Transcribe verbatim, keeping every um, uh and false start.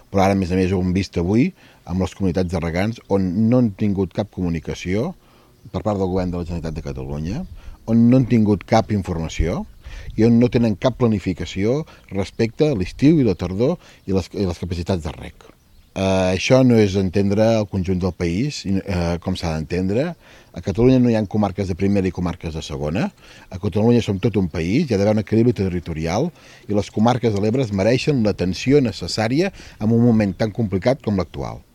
però ara, a més a més, ho hem vist avui amb les comunitats de regants on no han tingut cap comunicació per part del govern de la Generalitat de Catalunya, on no han tingut cap informació i on no tenen cap planificació respecte a l'estiu i la tardor i les, i les capacitats de rec. Uh, això no és entendre el conjunt del país, uh, com s'ha d'entendre. A Catalunya no hi ha comarques de primera i comarques de segona. A Catalunya som tot un país, hi ha d'haver un equilibri territorial i les comarques de l'Ebre es mereixen l'atenció necessària en un moment tan complicat com l'actual.